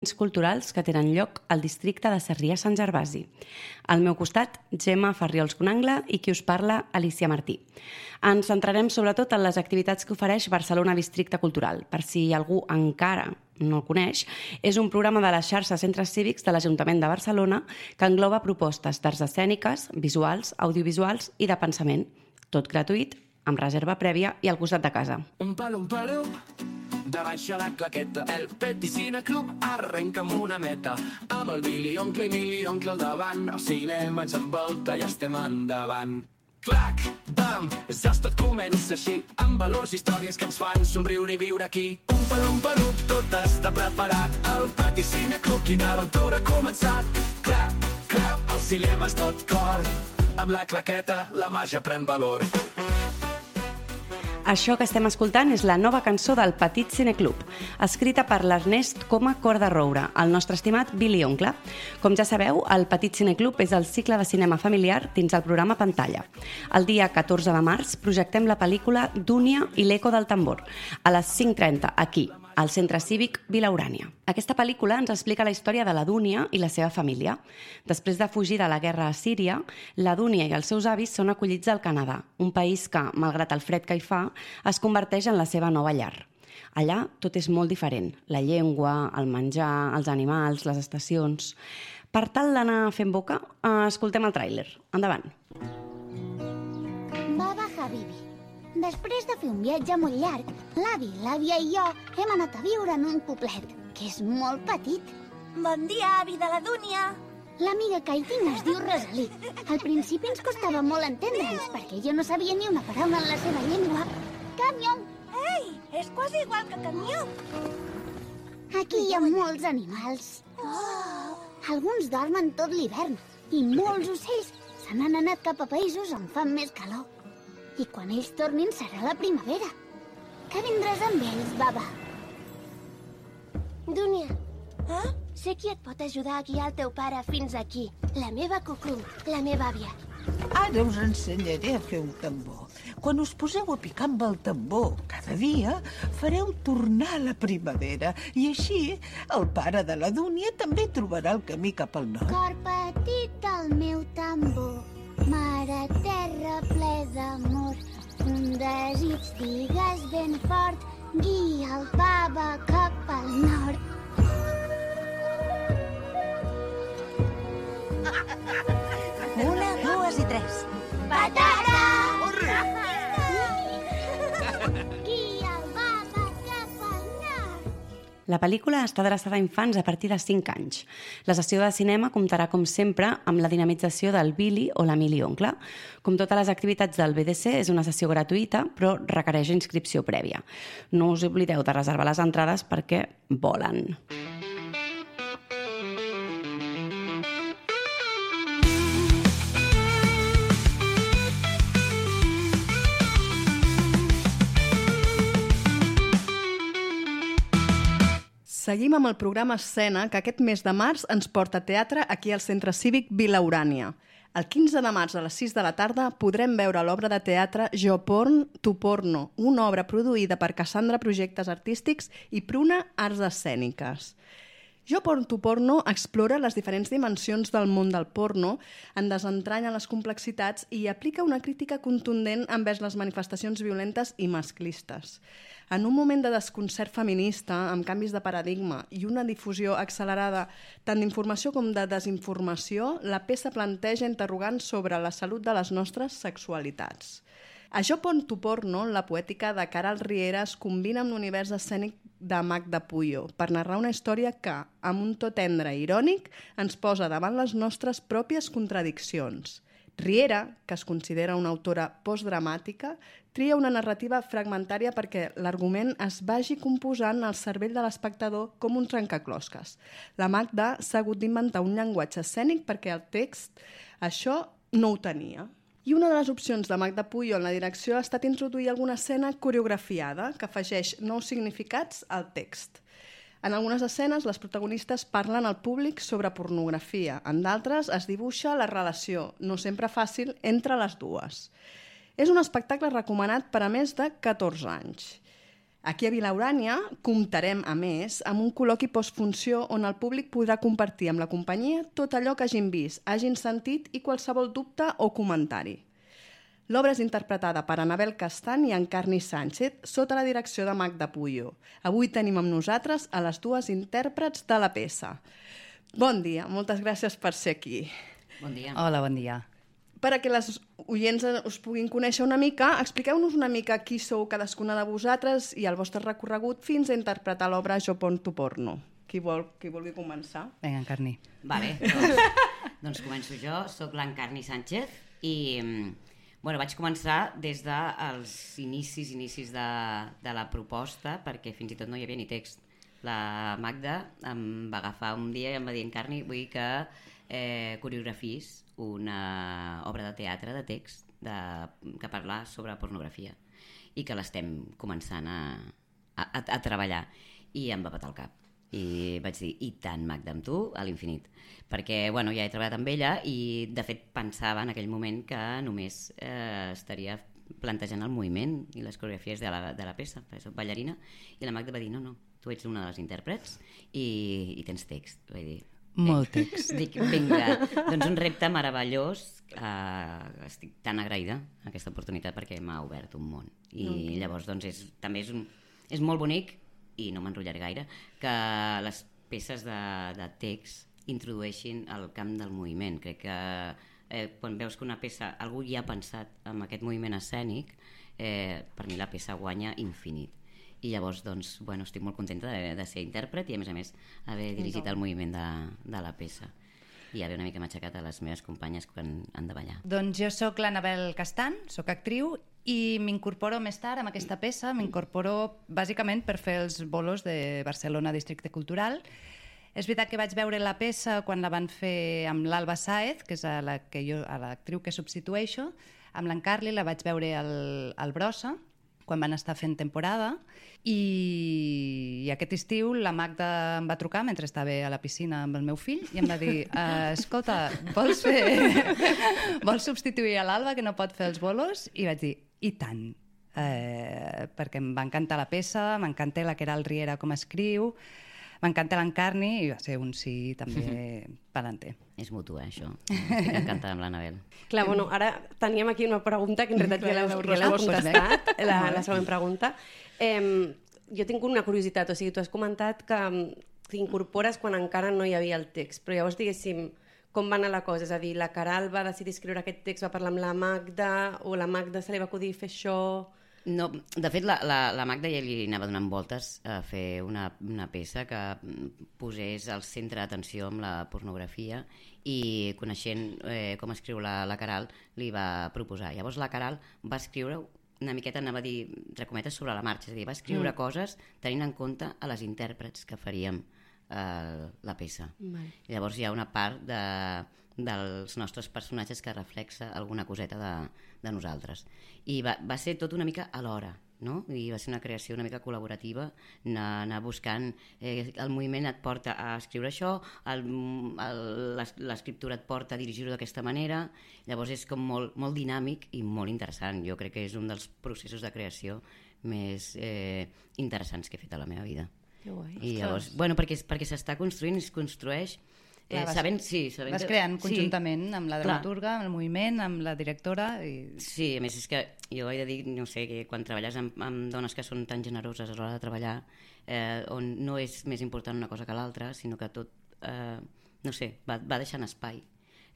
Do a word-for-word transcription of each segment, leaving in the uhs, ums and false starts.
culturals que tenen lloc al districte de Sarrià-Sant Gervasi. Al meu costat, Gemma Farriols-Conangle i qui us parla, Alicia Martí. Ens centrarem sobretot en les activitats que ofereix Barcelona Districte Cultural. Per si algú encara no el coneix, és un programa de la xarxa Centres Cívics de l'Ajuntament de Barcelona que engloba propostes d'arts escèniques, visuals, audiovisuals i de pensament, tot gratuït, amb reserva prèvia i al costat de casa. Un palo, un palo, de baixa la claqueta, el Petit Cine Club arrenca amb una meta, amb el Billy Oncle i Mili Oncle al davant, el cinema ens envolta i estem endavant. Clac, bam, ja tot comença així, amb valors i històries que ens fan somriure i viure aquí. Un palo, un palo, tot està preparat, el Petit Cine Club, quina aventura ha començat. Clap, clap, el cinema és tot cor, amb la claqueta la màgia pren valor. Això que estem escoltant és la nova cançó del Petit Cine Club, escrita per l'Ernest Coma Corda-Roure, el nostre estimat Billy Oncle. Com ja sabeu, el Petit Cine Club és el cicle de cinema familiar dins el programa Pantalla. El dia catorze de març projectem la pel·lícula Dúnia i l'eco del tambor, a les cinc trenta, aquí, al Centre Cívic Vila Urània. Aquesta pel·lícula ens explica la història de la Dúnia i la seva família. Després de fugir de la guerra a Síria, la Dúnia i els seus avis són acollits al Canadà, un país que, malgrat el fred que hi fa, es converteix en la seva nova llar. Allà tot és molt diferent. La llengua, el menjar, els animals, les estacions... Per tal d'anar fent boca, escoltem el tràiler. Endavant. Baba Habibi. Després de fer un viatge molt llarg, l'avi, l'àvia i jo hem anat a viure en un poblet, que és molt petit. Bon dia, avi de la Dúnia! L'amiga que hi tinc es diu Rosalí. Al principi ens costava molt entendre'ns, perquè jo no sabia ni una paraula en la seva llengua. Camió! Ei, és quasi igual que camió! Aquí hi ha molts animals. Oh. Alguns dormen tot l'hivern, i molts ocells se n'han anat cap a països on fan més calor. I quan ells tornin serà la primavera. Que vindràs amb ells, Baba? Dúnia, Eh? sé qui et pot ajudar a guiar el teu pare fins aquí. La meva Cucú, la meva àvia. Ara us ensenyaré a fer un tambor. Quan us poseu a picar amb el tambor cada dia, fareu tornar la primavera. I així, el pare de la Dúnia també trobarà el camí cap al nord. Cor petit al meu tambor, mare terra ple d'amor, un desig digues ben fort, guia el Baba cap al nord. Una, dues i tres. Patata! Guia el Baba cap al nord. La pel·lícula està adreçada a infants a partir de cinc anys. La sessió de cinema comptarà, com sempre, amb la dinamització del Billy o la Mili Oncle. Com totes les activitats del B D C, és una sessió gratuïta, però requereix inscripció prèvia. No us oblideu de reservar les entrades perquè volen. Seguim amb el programa Escena, que aquest mes de març ens porta a teatre aquí al Centre Cívic Vila Urània. El quinze de març a les sis de la tarda podrem veure l'obra de teatre Jo Porn, Tu Porno, una obra produïda per Cassandra Projectes Artístics i Pruna Arts Escèniques. Jo Porn, Tu Porno explora les diferents dimensions del món del porno, en desentranya les complexitats i aplica una crítica contundent envers les manifestacions violentes i masclistes. En un moment de desconcert feminista, amb canvis de paradigma i una difusió accelerada tant d'informació com de desinformació, la peça planteja interrogants sobre la salut de les nostres sexualitats. A Jo Porn, Tu Porno, la poètica de Caral Riera es combina amb l'univers escènic de Magda Puyo per narrar una història que, amb un to tendre i irònic, ens posa davant les nostres pròpies contradiccions. Riera, que es considera una autora postdramàtica, tria una narrativa fragmentària perquè l'argument es vagi composant al cervell de l'espectador com un trencaclosques. La Magda s'ha hagut d'inventar un llenguatge escènic perquè el text això no ho tenia. I una de les opcions de Magda Puyo en la direcció ha estat introduir alguna escena coreografiada que afegeix nous significats al text. En algunes escenes, les protagonistes parlen al públic sobre pornografia. En d'altres, es dibuixa la relació, no sempre fàcil, entre les dues. És un espectacle recomanat per a més de catorze anys. Aquí a Vilaurània comptarem, a més, amb un col·loqui postfunció on el públic podrà compartir amb la companyia tot allò que hagin vist, hagin sentit i qualsevol dubte o comentari. L'obra és interpretada per Anabel Castan i Encarni Sánchez sota la direcció de Magda Puyo. Avui tenim amb nosaltres a les dues intèrprets de la peça. Bon dia, moltes gràcies per ser aquí. Bon dia. Hola, bon dia. Per a que les oients us puguin conèixer una mica, expliqueu-nos una mica qui sou cadascuna de vosaltres i el vostre recorregut fins a interpretar l'obra Jo porto porno. Qui, vol, qui vulgui començar? Vinga, Encarni. Vale, doncs, doncs començo jo. Soc l'Encarni Sánchez i bueno, vaig començar des dels inicis, inicis de, de la proposta, perquè fins i tot no hi havia ni text. La Magda em va agafar un dia i em va dir: Encarni, vull que eh, coreografis una obra de teatre de text de, que parla sobre pornografia i que l'estem començant a, a, a treballar. I em va petar el cap. I vaig dir, i tant, Magda, amb tu, a l'infinit. Perquè, bueno, ja he treballat amb ella i, de fet, pensava en aquell moment que només eh, estaria plantejant el moviment i les coreografies de la, de la peça, perquè soc ballarina, i la Magda va dir, no, no, tu ets una de les intèrprets i, i tens text. Vaig dir, molt text. Dic, vinga, doncs un repte meravellós. Uh, estic tan agraïda a aquesta oportunitat perquè m'ha obert un món. I okay. Llavors, doncs, és, també és, un, és molt bonic, i no m'enrotllaré gaire, que les peces de, de text introdueixin el camp del moviment. Crec que eh, quan veus que una peça, algú hi ha pensat en aquest moviment escènic, eh, per mi la peça guanya infinit. I llavors, doncs, bueno, estic molt contenta de, de ser intèrpret i, a més a més, haver dirigit el moviment de, de la peça. I haver una mica m'aixecat a les meves companyes quan han de ballar. Doncs jo sóc l'Anabel Castan, sóc actriu i m'incorporo més tard amb aquesta peça, m'incorporo bàsicament per fer els bolos de Barcelona Districte Cultural. És veritat que vaig veure la peça quan la van fer amb l'Alba Sáez, que és a la que jo, a l'actriu que substitueixo, amb l'Encarli la vaig veure al, al Brossa, quan van estar fent temporada, i, i aquest estiu la Magda em va trucar mentre estava a la piscina amb el meu fill i em va dir, uh, escolta, vols fer... vols substituir a l'Alba que no pot fer els bolos? I vaig dir, i tant, eh, perquè em va encantar la peça, m'encanta la Queralt Riera com escriu, m'encanta l'Encarni i va ser un sí també pelanter. És mutu, eh, això. Estic encantada amb l'Anabel. Clar, bueno, ara teníem aquí una pregunta que en realitat ja l'heu ja contestat, la, la següent pregunta. Eh, jo tinc una curiositat, o sigui, tu has comentat que t'incorpores quan encara no hi havia el text, però llavors, diguéssim, com va anar la cosa? És a dir, la Queralt va decidir escriure aquest text, va parlar amb la Magda, o la Magda se li va acudir fer això... No, de fet, la, la, la Magda ja li anava donant voltes a fer una, una peça que posés al centre d'atenció amb la pornografia i coneixent eh, com escriu la, la Queralt li va proposar. Llavors la Queralt va escriure una miqueta, anava a dir, entre cometes, sobre la marxa, és a dir, va escriure mm. coses tenint en compte a les intèrprets que faríem eh, la peça. Vale. Llavors hi ha una part de, dels nostres personatges que reflexa alguna coseta de, de nosaltres. I va, va ser tot una mica alhora, no? I va ser una creació una mica col·laborativa, anar, anar buscant, eh, el moviment et porta a escriure això, el, el, l'escriptura et porta a dirigir-ho d'aquesta manera, llavors és com molt, molt dinàmic i molt interessant. Jo crec que és un dels processos de creació més eh, interessants que he fet a la meva vida. Que guai. I llavors, bueno, perquè, perquè s'està construint, es construeix Eh, vas, sabent, sí, sabent vas que, creant sí, conjuntament amb la dramaturga, amb el moviment, amb la directora i... Sí, a més és que jo he de dir, no sé, que quan treballes amb, amb dones que són tan generoses a l'hora de treballar, eh, on no és més important una cosa que l'altra, sinó que tot, eh, no sé, va, va deixant espai.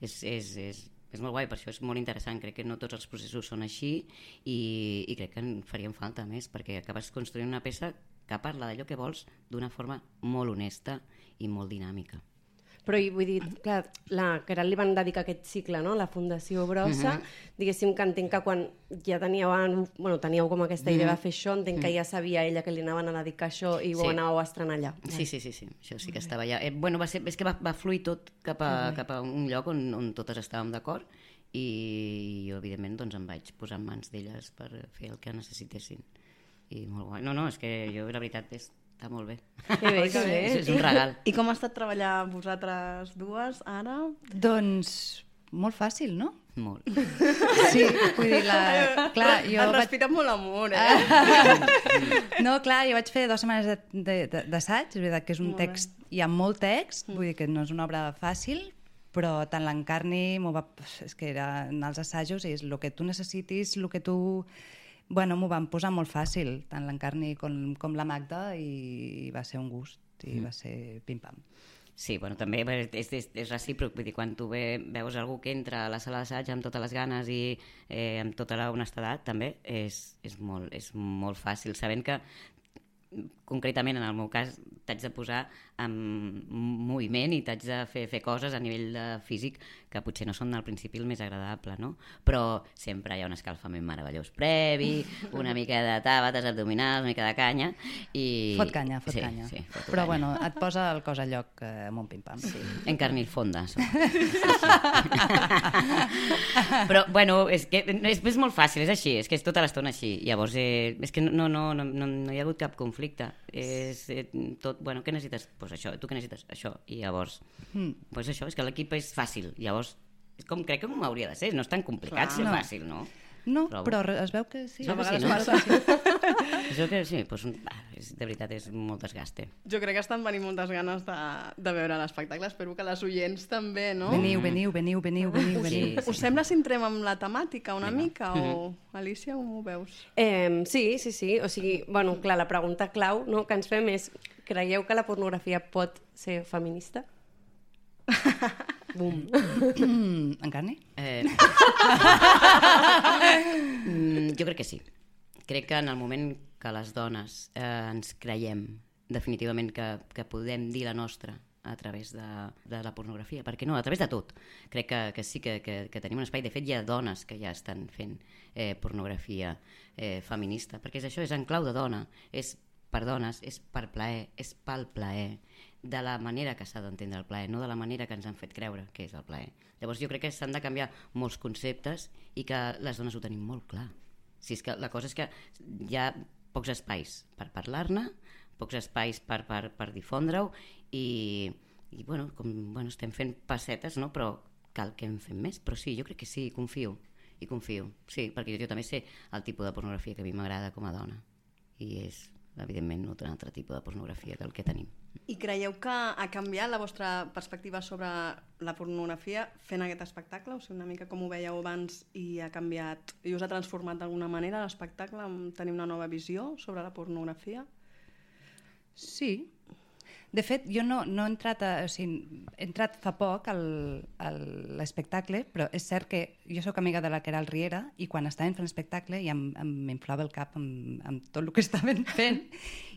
És, és, és, és molt guai, per això és molt interessant. Crec que no tots els processos són així i, i crec que en faríem falta més, perquè acabes construint una peça que parla d'allò que vols d'una forma molt honesta i molt dinàmica. Però vull dir, clar, la Queralt li van dedicar aquest cicle, no?, la Fundació Brossa, uh-huh. diguéssim que entenc que quan ja teníeu, bueno, teníeu com aquesta idea uh-huh. de fer això, entenc uh-huh. que ja sabia ella que li anaven a dedicar això i ho sí. anàveu a estrenar allà. Sí, sí, sí, sí. Això sí que estava allà. Eh, bueno, va ser, és que va, va fluir tot cap a, uh-huh. cap a un lloc on, on totes estàvem d'acord i jo, evidentment, doncs em vaig posar en mans d'elles per fer el que necessitessin. I molt guai. No, no, és que jo, la veritat, és està molt bé. Que bé, que bé. És un regal. I com ha estat treballar vosaltres dues ara? Doncs molt fàcil, no? Molt. Sí, vull dir, la... clar, jo Has vaig... respirat molt amor, eh? No, clar, jo vaig fer dues setmanes de- de- de- d'assaig, és veritat que és un Molt bé. text, hi ha molt text, vull dir que no és una obra fàcil, però tant l'Encarni m'ho va... És que era en els assajos, és el que tu necessitis, el que tu... Bueno, m'ho van posar molt fàcil, tant l'Encarni com, com la Magda, i va ser un gust, i va ser pim-pam. Sí, bueno, també és, és, és recíproc, vull dir, quan tu ve, veus algú que entra a la sala d'assaig amb totes les ganes i eh, amb tota la honestedat, també és, és, molt, és molt fàcil, sabent que concretament en el meu cas t'haig de posar en moviment i t'haig de fer, fer coses a nivell de físic que potser no són al principi el més agradable, no? Però sempre hi ha un escalfament meravellós previ, una mica de tàbates abdominals, una mica de canya i... Fot canya, fot sí, canya. Sí, fot Però canya. bueno, et posa el cos a lloc eh, amb un pim-pam. Sí. Encarnir fonda. Sí, sí. Però, bueno, és que és, és molt fàcil, és així, és que és tota l'estona així. Llavors, eh, és que no, no, no, no, no hi ha hagut cap conflicte. És eh, tot, bueno, què necessites? Doncs pues això, tu què necessites? Això. I llavors, Mm. pues això, és que l'equip és fàcil. Llavors, és com crec que com hauria de ser, no és tan complicat Clar. ser No. fàcil, no? No, Trobo. però re- es veu que sí. Es veu que sí, vegades no? passa. Es veu que sí, doncs, bah, és, de veritat, és molt desgaste. Jo crec que estan venint moltes ganes de, de veure l'espectacle. Espero que les oients també, no? Veniu, veniu, veniu, veniu, veniu, Us, veniu. Sí, us sembla si entrem amb la temàtica una Vinga. mica? O... Alicia, com ho veus? Eh, sí, sí, sí. O sigui, bueno, clar, la pregunta clau no, que ens fem és, creieu que la pornografia pot ser feminista? Bum. Mm, Encarni? Eh... mm, jo crec que sí. Crec que en el moment que les dones eh, ens creiem definitivament que, que podem dir la nostra a través de, de la pornografia, perquè no, a través de tot. Crec que, que sí que, que, que tenim un espai. De fet, hi ha dones que ja estan fent eh, pornografia eh, feminista, perquè és això, és en clau de dona, és per dones, és per plaer, és pel plaer, de la manera que s'ha d'entendre el plaer, no de la manera que ens han fet creure que és el plaer. Llavors jo crec que s'han de canviar molts conceptes i que les dones ho tenim molt clar. Si és que la cosa és que hi ha pocs espais per parlar-ne, pocs espais per, per, per difondre-ho i, i bueno, com, bueno, estem fent passetes, no? Però cal que en fem més. Però sí, jo crec que sí, confio, i confio. Sí, perquè jo, jo també sé el tipus de pornografia que a mi m'agrada com a dona i és, evidentment, un altre tipus de pornografia que el que tenim. I creieu que ha canviat la vostra perspectiva sobre la pornografia fent aquest espectacle? O sigui, una mica com ho veieu abans i ha canviat i us ha transformat d'alguna manera l'espectacle? Tenir una nova visió sobre la pornografia? Sí. De fet, jo no, no he entrat, a, o sigui, he entrat fa poc al, a l'espectacle, però és cert que jo sóc amiga de la Queralt Riera i quan estàvem fent l'espectacle ja em, em m'inflava el cap amb, amb tot el que estaven fent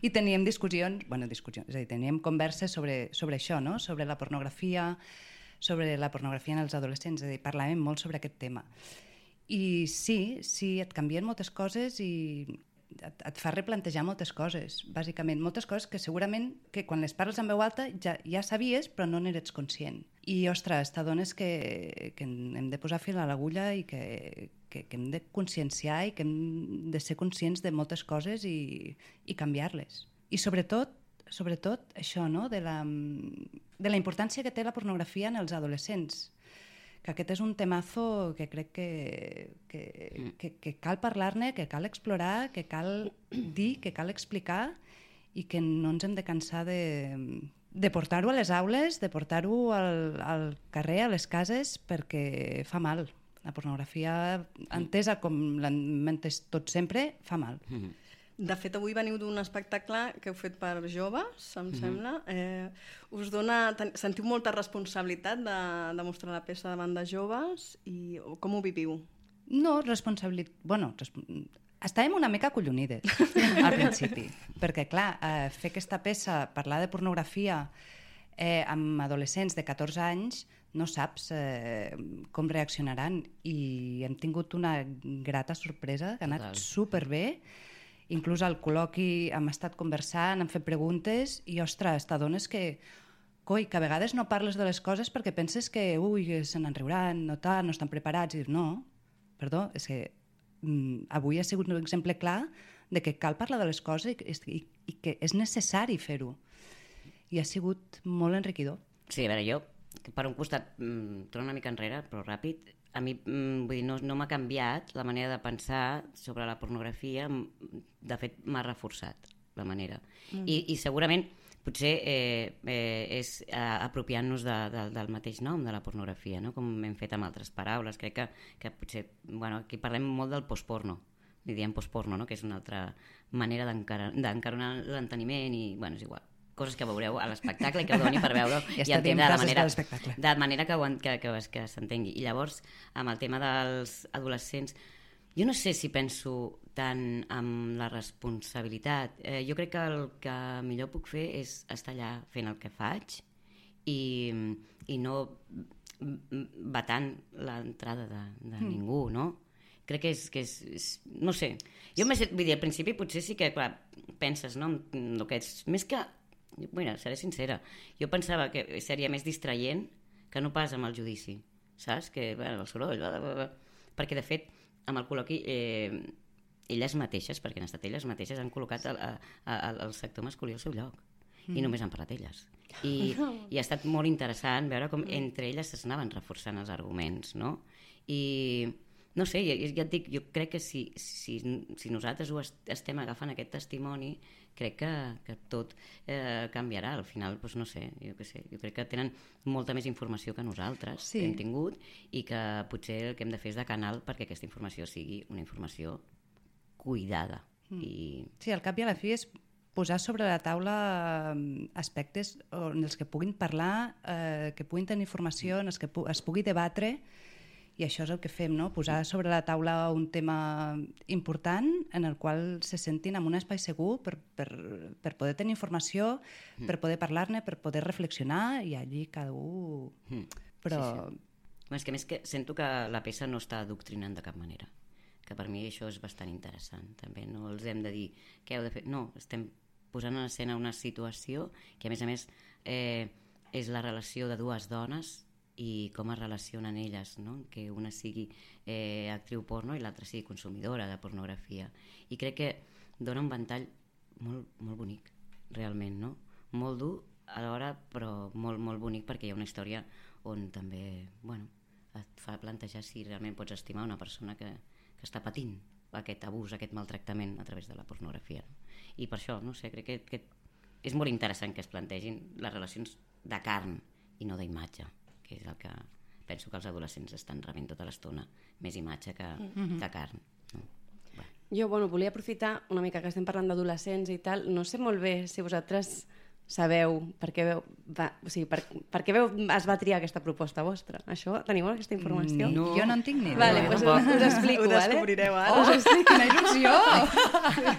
i teníem discussions, bueno, discussions, és a dir, teníem converses sobre, sobre això, no? Sobre la pornografia, sobre la pornografia en els adolescents, és a dir, parlàvem molt sobre aquest tema. I sí, sí, et canvien moltes coses i et, et fa replantejar moltes coses, bàsicament. Moltes coses que segurament que quan les parles en veu alta ja, ja sabies, però no n'eres conscient. I, ostres, t'adones que, que hem de posar fil a l'agulla i que, que, que hem de conscienciar i que hem de ser conscients de moltes coses i, i canviar-les. I sobretot, sobretot això, no? de, la, de la importància que té la pornografia en els adolescents. Que aquest és un temazo que crec que, que, que, que cal parlar-ne, que cal explorar, que cal dir, que cal explicar i que no ens hem de cansar de, de portar-ho a les aules, de portar-ho al, al carrer, a les cases, perquè fa mal. La pornografia, entesa com l'hem entès tot sempre, fa mal. Mm-hmm. De fet, avui veniu d'un espectacle que heu fet per joves, em Mhm. sembla. Eh, us dona, ten, sentiu molta responsabilitat de, de mostrar la peça davant de joves i o com ho viviu? No, responsabilitat... Bueno, resp... estàvem una mica acollonides al principi, perquè, clar, eh, fer aquesta peça, parlar de pornografia eh, amb adolescents de catorze anys, no saps eh, com reaccionaran i hem tingut una grata sorpresa, que ha anat Total. superbé. Inclús al col·loqui hem estat conversant, hem fet preguntes i, ostres, t'adones que, coi, que a vegades no parles de les coses perquè penses que, ui, se n'en riuran, no tal, no estan preparats. I dius, no, perdó, és que mm, avui ha sigut un exemple clar de que cal parlar de les coses i, i, i que és necessari fer-ho. I ha sigut molt enriquidor. Sí, a veure, jo, per un costat, mm, torno una mica enrere, però ràpid, a mi vull dir, no, no m'ha canviat la manera de pensar sobre la pornografia, de fet m'ha reforçat la manera. Mm. I, I segurament potser eh, eh, és eh, apropiant-nos de, de, del mateix nom de la pornografia, no? Com hem fet amb altres paraules. Crec que, que potser, bueno, aquí parlem molt del postporno, li diem postporno, no? Que és una altra manera d'encaronar l'enteniment i, bueno, és igual, coses que veureu a l'espectacle i que ho doni per veure ja i entendre de manera, de, de manera que, que, que, que s'entengui. I llavors, amb el tema dels adolescents, jo no sé si penso tant amb la responsabilitat. Eh, jo crec que el que millor puc fer és estar allà fent el que faig i, i no vetant l'entrada de, de mm. ningú, no? Crec que és, que és, és... No sé. Jo, més, vull dir, al principi potser sí que, clar, penses, no? El que és, més que... Bueno, seré sincera. Jo pensava que seria més distraient que no pas amb el judici, saps? Que, bueno, el soroll... Bla, bla, bla. Perquè, de fet, amb el col·loqui, eh, elles mateixes, perquè han estat elles mateixes, han col·locat el, el, el sector masculí al seu lloc. Mm. I només han parlat elles. I, I ha estat molt interessant veure com entre elles s'anaven reforçant els arguments, no? I... No sé, ja, ja et dic, jo crec que si, si, si nosaltres ho estem agafant aquest testimoni, crec que, que tot eh, canviarà. Al final, doncs no sé, jo què sé, jo crec que tenen molta més informació que nosaltres sí. que hem tingut i que potser el que hem de fer és de canal perquè aquesta informació sigui una informació cuidada. Mm. I... Sí, al cap i a la fi és posar sobre la taula aspectes en els que puguin parlar, eh, que puguin tenir informació, en els que pu- es pugui debatre. I això és el que fem, no? Posar sobre la taula un tema important en el qual se sentin en un espai segur per, per, per poder tenir informació, mm. per poder parlar-ne, per poder reflexionar i allí cada un... Mm. Però... Sí, sí. És que més que sento que la peça no està adoctrinant de cap manera, que per mi això és bastant interessant també, no els hem de dir què heu de fer, no, estem posant en escena una situació que a més a més eh, és la relació de dues dones i com es relacionen elles, no? Que una sigui eh, actriu porno i l'altra sigui consumidora de pornografia. I crec que dona un ventall molt, molt bonic, realment, no? Molt dur alhora, però molt, molt bonic perquè hi ha una història on també, bueno, et fa plantejar si realment pots estimar una persona que, que està patint aquest abús, aquest maltractament a través de la pornografia. I per això, no sé, crec que, que és molt interessant que es plantegin les relacions de carn i no d'imatge, que és el que penso que els adolescents estan rebent tota l'estona, més imatge que, mm-hmm. que carn. No? Bueno. Jo, bueno, volia aprofitar una mica que estem parlant d'adolescents i tal, no sé molt bé si vosaltres sabeu per què, veu, va, o sigui, per, per què veu, es va triar aquesta proposta vostra. Això, teniu aquesta informació? No. Jo no en tinc ni idea. Vale, pues us, us explico, ho descobrireu vale? ara. Us explico. Quina il·lusió!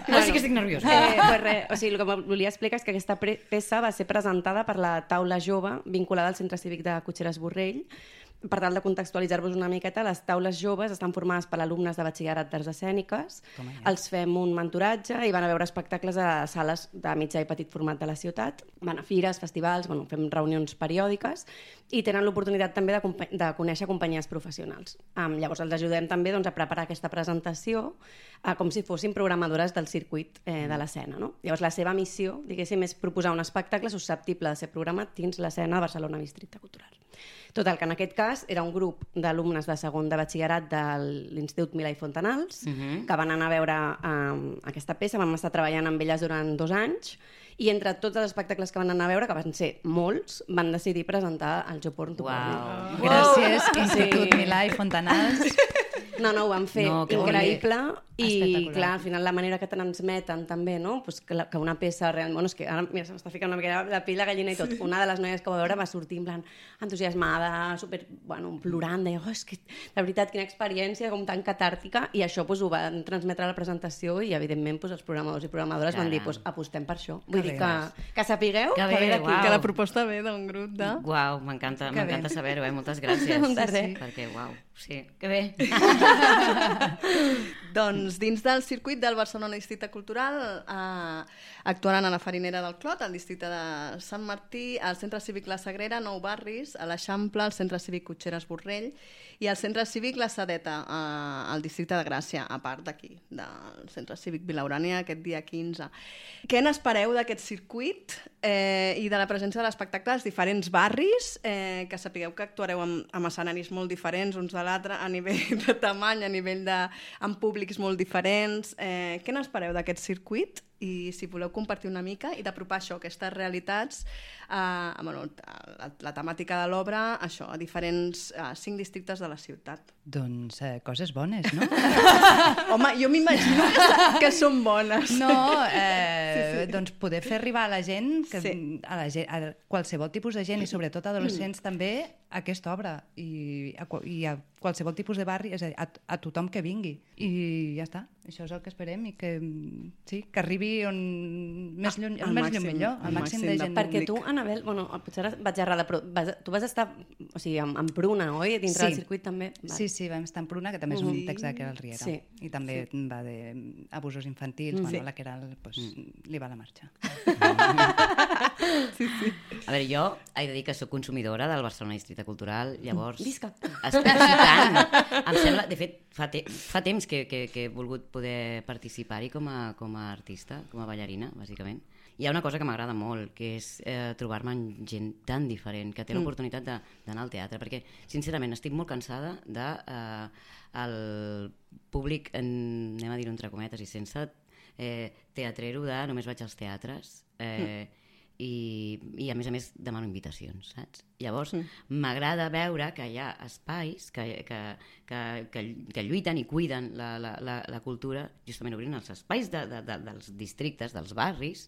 Bueno, sí que estic nerviosa. Eh, pues res, o sigui, el que volia explicar és que aquesta pre- peça va ser presentada per la taula jove vinculada al Centre Cívic de Cotxeres Borrell. Per tal de contextualitzar-vos una miqueta, les taules joves estan formades per alumnes de batxillerat d'arts escèniques. Els fem un mentoratge i van a veure espectacles a sales de mitjà i petit format de la ciutat. Van a fires, festivals, bueno, fem reunions periòdiques i tenen l'oportunitat també de, compa- de conèixer companyies professionals. Um, llavors els ajudem també doncs, a preparar aquesta presentació uh, com si fossin programadores del circuit eh, de l'escena. No? Llavors la seva missió, diguéssim, és proposar un espectacle susceptible de ser programat dins l'escena de Barcelona Districte Cultural. Total, que en aquest cas era un grup d'alumnes de segon de batxillerat de l'Institut Milà i Fontanals uh-huh. que van anar a veure um, aquesta peça, vam estar treballant amb elles durant dos anys i entre tots els espectacles que van anar a veure, que van ser molts, van decidir presentar el Jo Porn, Tu Porn. Wow. Gràcies, Institut sí. Milà i Fontanals. No, no, ho van fer no, increïble i, clar, al final la manera que transmeten també, no? Pues que, la, que una peça realment... Bueno, és que ara mira, se m'està ficant una mica la pell de gallina i tot. Una de les noies que va veure va sortir en plan entusiasmada, super, bueno, plorant, deia, oh, és que de veritat, quina experiència, com tan catàrtica, i això pues, ho van transmetre a la presentació i, evidentment, pues, els programadors i programadores Caram. van dir, pues, apostem per això. Vull que dir que, que sapigueu que, que ve d'aquí. Que la proposta ve d'un grup de... Uau, m'encanta, m'encanta saber-ho, eh? Moltes gràcies. De res. Perquè, uau, sí, que bé. Doncs dins del circuit del Barcelona Districte Cultural eh, actuaran a la Farinera del Clot, al districte de Sant Martí, al Centre Cívic La Sagrera, Nou Barris, a l'Eixample, al Centre Cívic Cotxeres Borrell i al Centre Cívic La Sedeta, eh, al districte de Gràcia, a part d'aquí, del Centre Cívic Vilaurània, aquest dia quinze. Què n'espereu d'aquest circuit eh, i de la presència de l'espectacle als diferents barris, eh, que sapigueu que actuareu amb, amb escenaris molt diferents uns de l'altre a nivell de tamany, a nivell de... amb públics molt diferents. Eh, què n'espereu d'aquest circuit? I si voleu compartir una mica i d'apropar això, aquestes realitats, eh, bueno, la, la temàtica de l'obra, això, a diferents eh, cinc districtes de la ciutat. Doncs eh, coses bones, no? Home, jo m'imagino que, que són bones. No, eh, sí, sí. Doncs poder fer arribar a la gent, que, sí. a, la gent a qualsevol tipus de gent i sobretot adolescents també, aquesta obra i a, i a qualsevol tipus de barri, és a dir, a, a tothom que vingui. I ja està, això és el que esperem i que, sí, que arribi on més lluny, el, el més màxim, lluny millor, el màxim, màxim de gent. Perquè tu, Anabel, bueno, potser ara vaig errada, però vas, tu vas estar, o sigui, amb, amb Pruna, oi? Dintre sí. del circuit també. Vale. Sí, sí, vam estar en Pruna, que també és un sí. text de Queralt Riera. Sí. I també sí. va d'abusos infantils, sí. bueno, la Queralt pues, mm. li va la marxa. sí, sí. A veure, jo he de dir que soc consumidora del Barcelona Districte Cultural, llavors... Visca! Espero, sí, tant. Em sembla, de fet, fa, te, fa temps que, que, que he volgut poder participar-hi com, a, com a artista, com a ballarina, bàsicament. Hi ha una cosa que m'agrada molt, que és eh, trobar-me amb gent tan diferent, que té mm. l'oportunitat d'anar al teatre, perquè, sincerament, estic molt cansada de eh, el públic, en, anem a dir-ho entre cometes, i sense eh, teatrero de només vaig als teatres, eh, mm. i, i a més a més demano invitacions, saps? Llavors m'agrada mm. veure que hi ha espais que, que, que, que, que lluiten i cuiden la, la, la, la cultura, justament obrint els espais de, de, de, dels districtes, dels barris,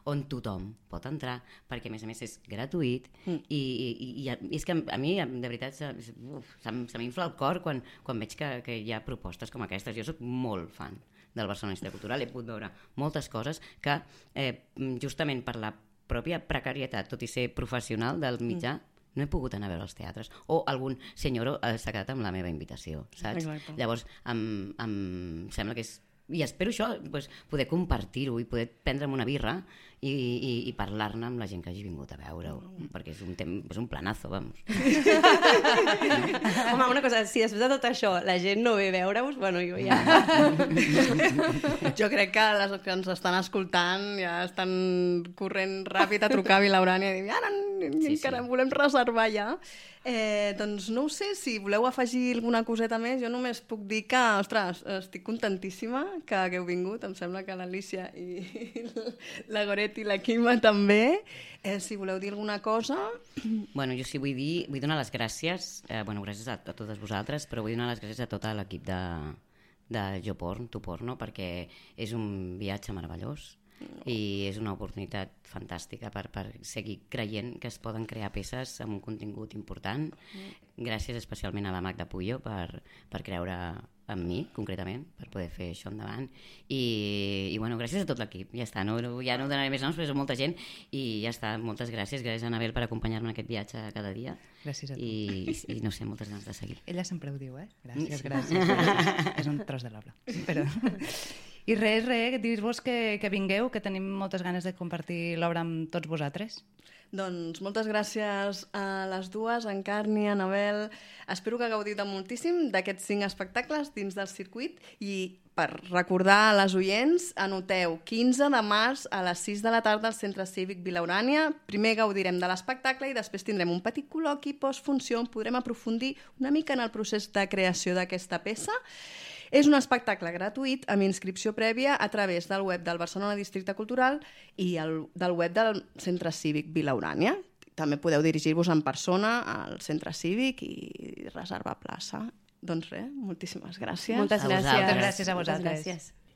on tothom pot entrar, perquè a més a més és gratuït mm. i, i, i, i és que a mi, de veritat, se, uf, se, se m'infla el cor quan, quan veig que, que hi ha propostes com aquestes. Jo soc molt fan del Barcelona Districte Cultural, he pogut veure moltes coses que eh, justament per la pròpia precarietat, tot i ser professional del mitjà, mm. no he pogut anar a veure els teatres. O algun senyor eh, s'ha quedat amb la meva invitació, saps? Exacte. Llavors, em, em sembla que és... I espero això, pues, poder compartir-ho i poder prendre'm una birra i, i, i parlar-ne amb la gent que hagi vingut a veure-ho, mm. perquè és un, tem... és un planazo, vamos. Home, una cosa, si després de tot això la gent no ve a veure-us, bueno, jo ja... Jo crec que les que ens estan escoltant ja estan corrent ràpid a trucar a Vilaurània i dir, ara sí, encara sí. volem reservar ja. Eh, doncs no ho sé, si voleu afegir alguna coseta més, jo només puc dir que, ostres, estic contentíssima que hagueu vingut, em sembla que l'Alícia i la Goretti i la Quima també. Eh, si voleu dir alguna cosa... Bueno, jo sí vull dir, vull donar les gràcies, eh, bueno, gràcies a, a totes vosaltres, però vull donar les gràcies a tot l'equip de, de Jo Porn, Tu Porno, perquè és un viatge meravellós. No. I és una oportunitat fantàstica per, per seguir creient que es poden crear peces amb un contingut important. Mm. Gràcies especialment a la Magda Puyo per, per creure en mi, concretament, per poder fer això endavant. I, i bueno, gràcies a tot l'equip. Ja està, no, ja no donaré més noms, però és molta gent i ja està. Moltes gràcies. Gràcies a Anabel per acompanyar-me en aquest viatge cada dia. Gràcies a tu. I, i no sé, moltes ganes de seguir. Ella sempre ho diu, eh? Gràcies, gràcies. gràcies. És un tros de l'obra. Però... I res, res, dir-vos que, que vingueu, que tenim moltes ganes de compartir l'obra amb tots vosaltres. Doncs moltes gràcies a les dues, en Carni, Anabel. Espero que gaudiu de moltíssim d'aquests cinc espectacles dins del circuit i per recordar a les oients, anoteu quinze de març a les sis de la tarda al Centre Cívic Vilaurània. Primer gaudirem de l'espectacle i després tindrem un petit col·loqui postfunció on podrem aprofundir una mica en el procés de creació d'aquesta peça. És un espectacle gratuït amb inscripció prèvia a través del web del Barcelona Districte Cultural i el, del web del Centre Cívic Vilaurània. També podeu dirigir-vos en persona al Centre Cívic i reservar plaça. Doncs res, moltíssimes gràcies. Moltes gràcies. Moltes gràcies a vosaltres. Gràcies.